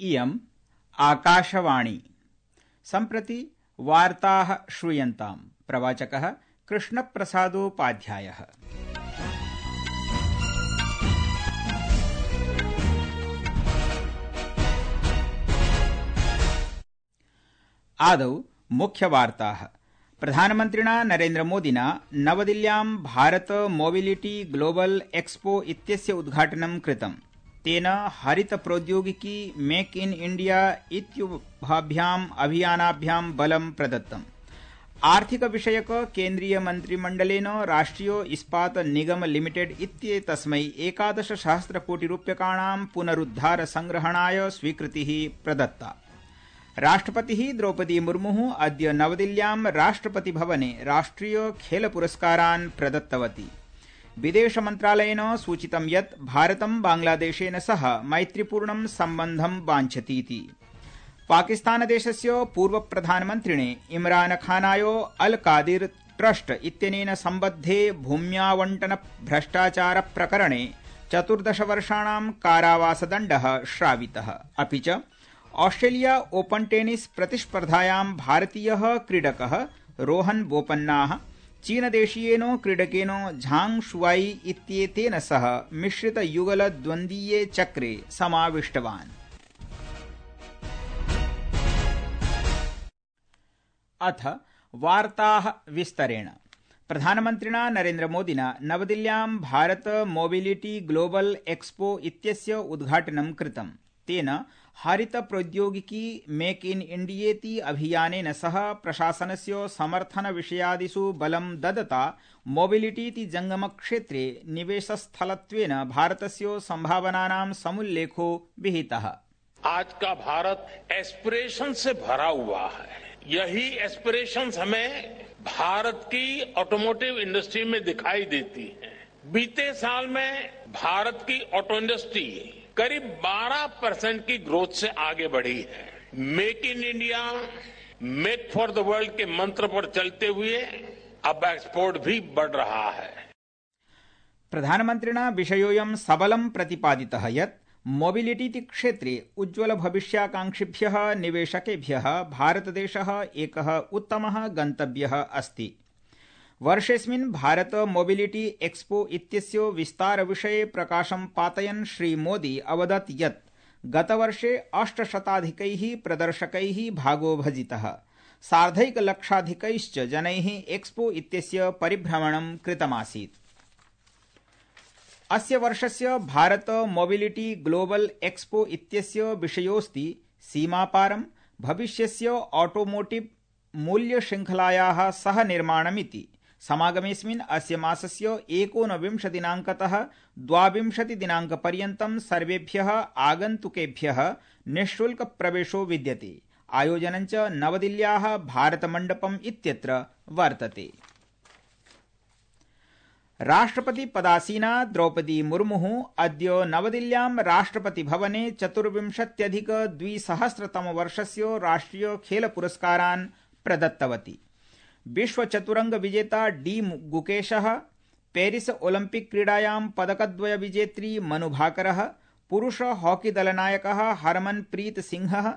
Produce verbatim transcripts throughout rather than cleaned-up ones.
इयम् आकाशवाणी। सम्प्रति वार्ताः श्रूयन्ताम्। प्रवाचकः कृष्णप्रसादोपाध्यायः। आदौ मुख्यवार्ताः। प्रधानमन्त्रिणा नरेन्द्रमोदिना नवदिल्ल्यां भारत मोबिलिटी ग्लोबल एक्सपो इत्यस्य उद्घाटनं कृतम्। तेन हरित प्रौद्योगिकी मेक इन इंडिया इत्युभाभ्याम् अभियानाभ्यां बलं प्रदत्तम्। आर्थिक विषयक केन्द्रीय मन्त्रिमण्डलेन राष्ट्रिय इस्पात निगम लिमिटेड इत्येतस्मै एकादश सहस्र कोटि रूप्यकाणां पुनरुद्धार संग्रहणाय स्वीकृतिः प्रदत्ता। राष्ट्रपतिः द्रौपदी मुर्मुः अद्य नवदिल्ल्यां राष्ट्रपति भवने राष्ट्रिय खेल पुरस्कारान् प्रदत्तवती। विदेश मन्त्रालयेन सूचितं यत् भारतं बांग्लादेशेन सह मैत्रीपूर्णं सम्बन्धं वाञ्छतीति। पाकिस्तानदेशस्य पूर्व प्रधानमन्त्रिणे इमरान खानाय अल कादिर ट्रस्ट इत्यनेन सम्बद्धे भूम्यावण्टन भ्रष्टाचार प्रकरणे चतुर्दश वर्षाणां कारावासदण्डः श्रावितः। अपि च ऑस्ट्रेलिया ओपन टेनिस प्रतिस्पर्धायां भारतीयः क्रीडकः रोहन बोपन्नाः चीनदेशीयेन क्रीडकेन झांग शुआई इत्येतेन सह मिश्रित युगल द्वन्द्वीये चक्रे समाविष्टवान्। अथ वार्ताः विस्तरेण। प्रधानमन्त्रिणा नरेन्द्रमोदिना नवदिल्ल्यां भारत मोबिलिटी ग्लोबल एक्सपो इत्यस्य उद्घाटनं कृतम्। तेन हरित प्रौद्योगिकी मेक इन इंडियेति अभियानेन सह प्रशासनस्य समर्थन विषयादिषु बलं ददता मोबिलिटीति जंगमक्षेत्रे निवेशस्थलत्वेन भारतस्य संभावनानां समुल्लेखो विहितः। आज का भारत एस्पिरेशन से भरा हुआ है। यही एस्पिरेशंस हमें भारत की ऑटोमोटिव इंडस्ट्री में दिखाई देती है। बीते साल में भारत की ऑटो इंडस्ट्री करीब बारह परसेंट की ग्रोथ से आगे बढ़ी है। मेक इन इंडिया, मेक फॉर द वर्ल्ड के मंत्र पर चलते हुए अब एक्सपोर्ट भी बढ़ रहा है। प्रधानमन्त्रिणा विषयोऽयं सबलं प्रतिपादितः यत् मोबिलिटी क्षेत्रे उज्ज्वल भविष्याकांक्षिभ्यः निवेशकेभ्यः भारतदेशः एकः उत्तमः गन्तव्यः अस्ति। वर्षेऽस्मिन् भारत मोबिलिटी एक्सपो इत्यस्य विस्तार विषये प्रकाशं पातयन् श्री मोदी अवदत् यत् गतवर्षे अष्टशताधिकैः प्रदर्शकैः भागो भजितः। सार्धैकलक्षाधिकैश्च जनैः एक्सपो इत्यस्य परिभ्रमणं कृतमासीत्। अस्य वर्षस्य भारत मोबिलिटी ग्लोबल एक्सपो इत्यस्य विषयोऽस्ति सीमापारं भविष्यस्य ऑटोमोटिव मूल्यशृङ्खलायाः सह निर्माणमिति। समागमेऽस्मिन् अस्य मासस्य एकोनविंश दिनाङ्कतः द्वाविंशति दिनाङ्कपर्यन्तं सर्वेभ्यः आगन्तुकेभ्यः निःशुल्क प्रवेशो विद्यते। आयोजनं च नवदिल्ल्याः भारतमण्डपम् इत्यत्र वर्तते। राष्ट्रपति पदासीना द्रौपदी मुर्मुः अद्य नवदिल्ल्यां राष्ट्रपति भवने चतुर्विंशत्यधिक द्विसहस्रतम वर्षस्य राष्ट्रिय खेल पुरस्कारान् प्रदत्तवती। विश्व चतुरंग विजेता डी गुकेशः, पेरिस ओलंपिक क्रीडायां पदकद्वय विजेत्री मनु भाकरः, पुरुष हॉकी दलनायकः हरमनप्रीत सिंहः,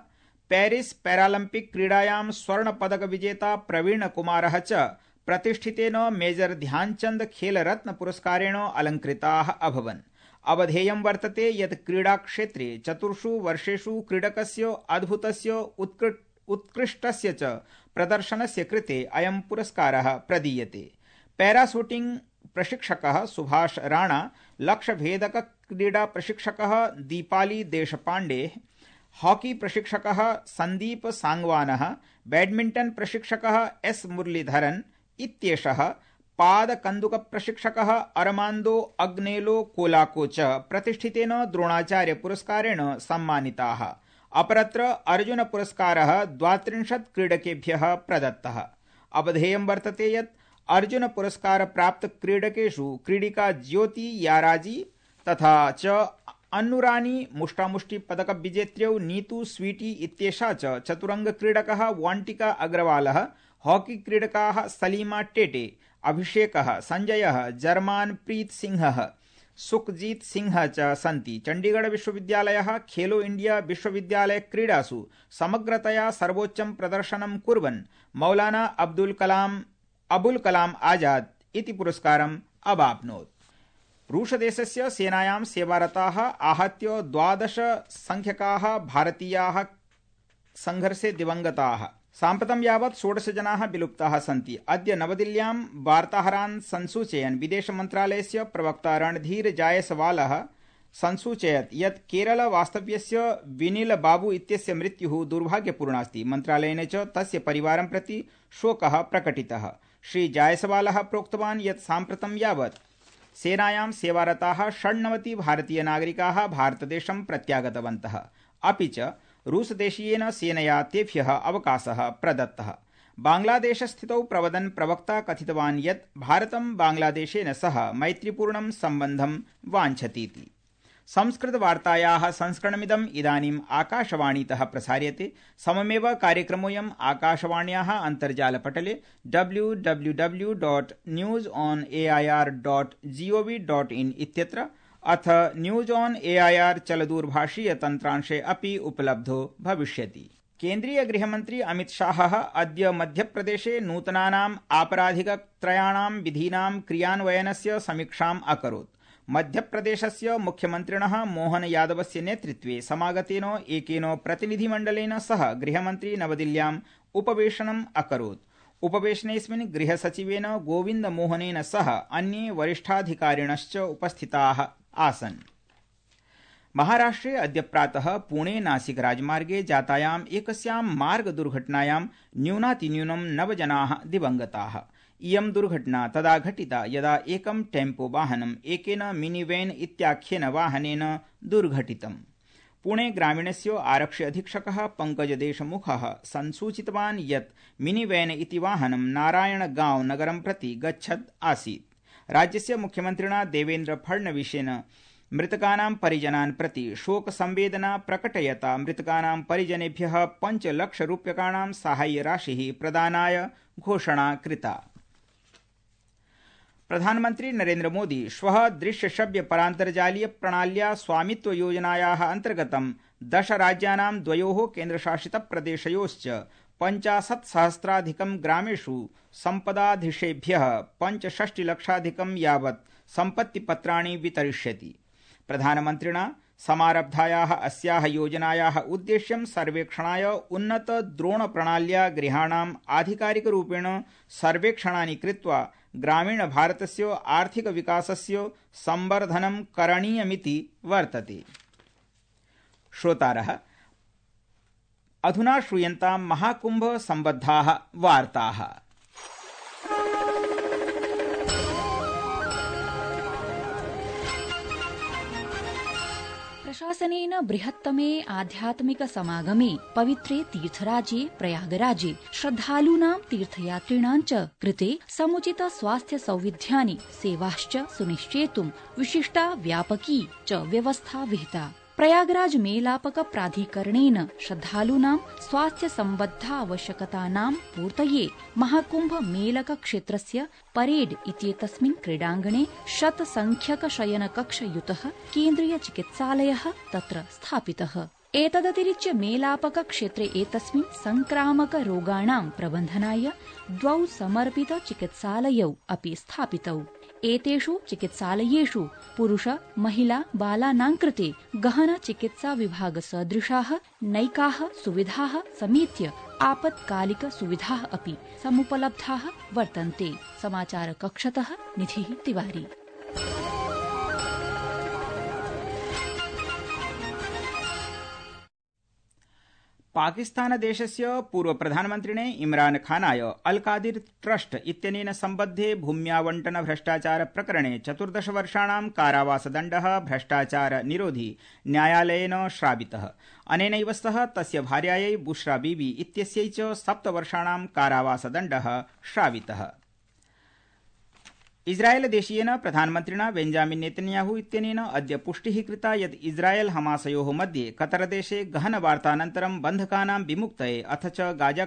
पेरिस पैरालंपिक क्रीडायां स्वर्ण पदक विजेता प्रवीण कुमारः च प्रतिष्ठितेन मेजर ध्यानचंद खेल रत्न पुरस्कारेण अलंकृताः अभवन्। अवधेयं वर्तते यत् क्रीडाक्षेत्रे चतुर्षु वर्षेषु क्रीडकस्य अद्भुतस्य उत्कृष्ट उत्कृष्टस्य च प्रदर्शनस्य कृते अयं पुरस्कारः प्रदीयते। पैराशूटिंग प्रशिक्षकः सुभाष राणा, लक्ष्यभेदक क्रीडा प्रशिक्षकः दीपाली देशपांडे, हॉकी प्रशिक्षकः संदीप सांगवानः, बैडमिंटन प्रशिक्षकः एस मुरलीधरन इत्येषः, पादकन्दुक प्रशिक्षकः अरमान्दो अग्नेलो कोलाको च प्रतिष्ठितेन द्रोणाचार्य पुरस्कारेण सम्मानिताः। अपरत्र अर्जुन पुरस्कारः द्वात्रिंशत् क्रीडकेभ्यः प्रदत्तः। अवधेयं वर्तते यत् अर्जुन पुरस्कार प्राप्त क्रीडकेषु क्रीडिका ज्योति याराजी तथा च अन्नुरानी मुष्टामुष्टि पदक विजेत्र्यौ नीतू स्वीटी इत्येषा च चतुरंग क्रीडकः वांटिका अग्रवालः, हॉकी क्रीडकाः सलीमा टेटे, अभिषेकः, संजयः, जर्मान प्रीत सिंहः, सुखजीत सिंह च सन्ति। चण्डीगढ़ विश्वविद्यालयः खेलो इंडिया विश्वविद्यालय क्रीडासु समग्रतया सर्वोच्चं प्रदर्शनं कुर्वन् मौलाना अब्दुल कलाम अबुल कलाम आजाद इति पुरस्कारम् अवाप्नोत्। रूसदेशस्य सेनायां सेवारताः आहत्य द्वादश संख्यकाः भारतीयाः संघर्षे दिवंगताः। साम्प्रतं यावत् षोडश जनाः विलुप्ताः सन्ति। अद्य नवदिल्ल्यां वार्ताहरान् संसूचयन् विदेश मन्त्रालयस्य प्रवक्ता रणधीर जायसवालः संसूचयत् यत् केरल वास्तव्यस्य विनिल बाबू इत्यस्य मृत्युः दुर्भाग्यपूर्णास्ति। मन्त्रालयेन च तस्य परिवारं प्रति शोकः प्रकटितः। श्री जायसवालः प्रोक्तवान् यत् साम्प्रतं यावत् सेनायां सेवारताः षण्णवति भारतीय नागरिकाः भारतदेशं प्रत्यागतवन्तः। अपि च रूसदेशीयेन सेनया तेभ्यः अवकाशः प्रदत्तः। बांग्लादेशस्थितौ प्रवदन् प्रवक्ता कथितवान् यत् भारतं बांग्लादेशेन सह मैत्रीपूर्णं सम्बन्धं वाञ्छतीति। संस्कृतवार्तायाः संस्करणमिदम् इदानीम् आकाशवाणीतः प्रसार्यते। सममेव कार्यक्रमोऽयम् आकाशवाण्याः अन्तर्जालपटले W W W dot news on A I R dot G O V dot in इत्यत्र अथ news on A I R चलदूरभाषीय तन्त्रांशे अपि उपलब्धो भविष्यति। केन्द्रीय गृहमन्त्री अमित शाहः अद्य मध्यप्रदेशे नूतनानाम् आपराधिकत्रयाणां विधीनां क्रियान्वयनस्य समीक्षाम् अकरोत्। मध्यप्रदेशस्य मुख्यमन्त्रिणः मोहन यादवस्य नेतृत्वे समागतेन एकेन प्रतिनिधिमण्डलेन सह गृहमन्त्री नवदिल्ल्याम् उपवेशनम् अकरोत्। उपवेशनेऽस्मिन् गृहसचिवेन गोविन्द मोहनेन सह अन्ये वरिष्ठाधिकारिणश्च उपस्थिताः आसन्। महाराष्ट्रे अद्य प्रातः पुणे नासिक राजमार्गे जातायाम् एकस्यां मार्ग दुर्घटनायां न्यूनातिन्यूनं नव जनाः दिवंगताः। इयं दुर्घटना तदा घटिता यदा एकं टेम्पो वाहनम् एकेन मिनिवैन इत्याख्येन वाहनेन दुर्घटितम्। पुणे ग्रामीणस्य आरक्षि अधीक्षकः पंकज देशमुखः संसूचितवान् यत् मिनिवैन इति वाहनं नारायणगांव नगरं प्रति गच्छत् आसीत्। राज्यस्य मुख्यमन्त्रिणा देवेन्द्र फडणवीसेन मृतकानां परिजनान् प्रति शोक संवेदना प्रकटयता मृतकानां परिजनेभ्यः पञ्चलक्षरूप्यकाणां साहाय्यराशिः प्रदानाय घोषणा कृता। प्रधानमन्त्री नरेन्द्र मोदी श्वः दृश्यश्रव्य परान्तर्जालीय प्रणाल्या स्वामित्व योजनायाः अन्तर्गतं दश राज्यानां द्वयोः केन्द्रशासितप्रदेशयोश्च पञ्चाशत् सहस्राधिकं ग्रामेषु सम्पदाधीशेभ्यः पञ्चषष्टिलक्षाधिकं यावत् सम्पत्तिपत्राणि वितरिष्यति। प्रधानमन्त्रिणा समारब्धायाः अस्याः योजनायाः उद्देश्यं सर्वेक्षणाय उन्नत द्रोणप्रणाल्या गृहाणाम् आधिकारिकरूपेण सर्वेक्षणानि कृत्वा ग्रामीण भारतस्य आर्थिक विकासस्य संवर्धनं करणीयमिति वर्तते। श्रोतारः अधुना श्रूयन्तां महाकुंभ सम्बद्धाः वार्ताः। प्रशासनेन बृहत्तमे आध्यात्मिक समागमे पवित्रे तीर्थराज्ये प्रयागराजे श्रद्धालूनां तीर्थयात्रिणां च कृते समुचित स्वास्थ्य सौविध्यानि सेवाश्च सुनिश्चेतुं विशिष्टा व्यापकी च व्यवस्था विहिता। प्रयागराज मेलापक प्राधिकरणेन श्रद्धालूनां स्वास्थ्य सम्बद्धावश्यकतानां पूर्तये महाकुंभ मेलक क्षेत्रस्य परेड इत्येतस्मिन् क्रीडाङ्गणे शतसंख्यक शयनकक्षयुतः केन्द्रीय चिकित्सालयः तत्र स्थापितः। एतदतिरिच्य मेलापक क्षेत्रे एतस्मिन् संक्रामक रोगाणां प्रबन्धनाय द्वौ समर्पित चिकित्सालयौ अपि स्थापितौ। एतेषु चिकित्सालयेषु पुरुष महिला बालानां कृते गहन चिकित्सा विभाग सदृशाः नैकाः सुविधाः समेत्य आपत्कालिक सुविधाः अपि समुपलब्धाः वर्तन्ते। समाचार कक्षतः निधिः तिवारी। पाकिस्तानदेशस्य पूर्वप्रधानमन्त्रिणे इमरान खानाय अल कादिर ट्रस्ट इत्यनेन सम्बद्धे भूम्यावण्टन भ्रष्टाचार प्रकरणे चतुर्दश वर्षाणां कारावासदण्डः भ्रष्टाचार निरोधि न्यायालयेन श्रावितः। अनेनैव सह तस्य भार्यायै बुशरा बीबी इत्यस्यै च सप्तवर्षाणां कारावासदण्डः श्रावितः। इस्राएलदेशीयेन प्रधानमन्त्रिणा बेंजामिन नेतन्याहू इत्यनेन अद्य पुष्टिः कृता यत् इस्राएल हमासयोः मध्ये कतरदेशे गहनवार्तानन्तरं बन्धकानां विमुक्तये अथ च गाजा